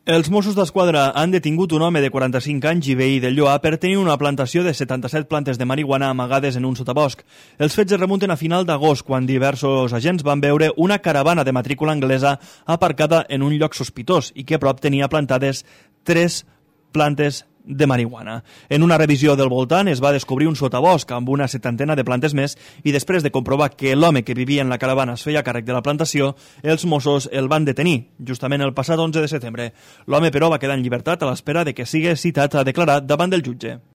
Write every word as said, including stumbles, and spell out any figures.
Els Mossos d'Esquadra han detingut un home de quaranta-cinc anys i veí del Lloar per tenir una plantació de setanta-set plantes de marihuana amagades en un sotabosc. Els fets es remunten a final d'agost, quan diversos agents van veure una caravana de matrícula anglesa aparcada en un lloc sospitós i que a prop tenia plantades tres plantes de marihuana. En una revisió del voltant es va descobrir un sotabosc amb una setantena de plantes més i després de comprovar que l'home que vivia en la caravana es feia càrrec de la plantació, els Mossos el van detenir, justament el passat onze de setembre. L'home, però, va quedar en llibertat a l'espera de que sigui citat a declarar davant del jutge.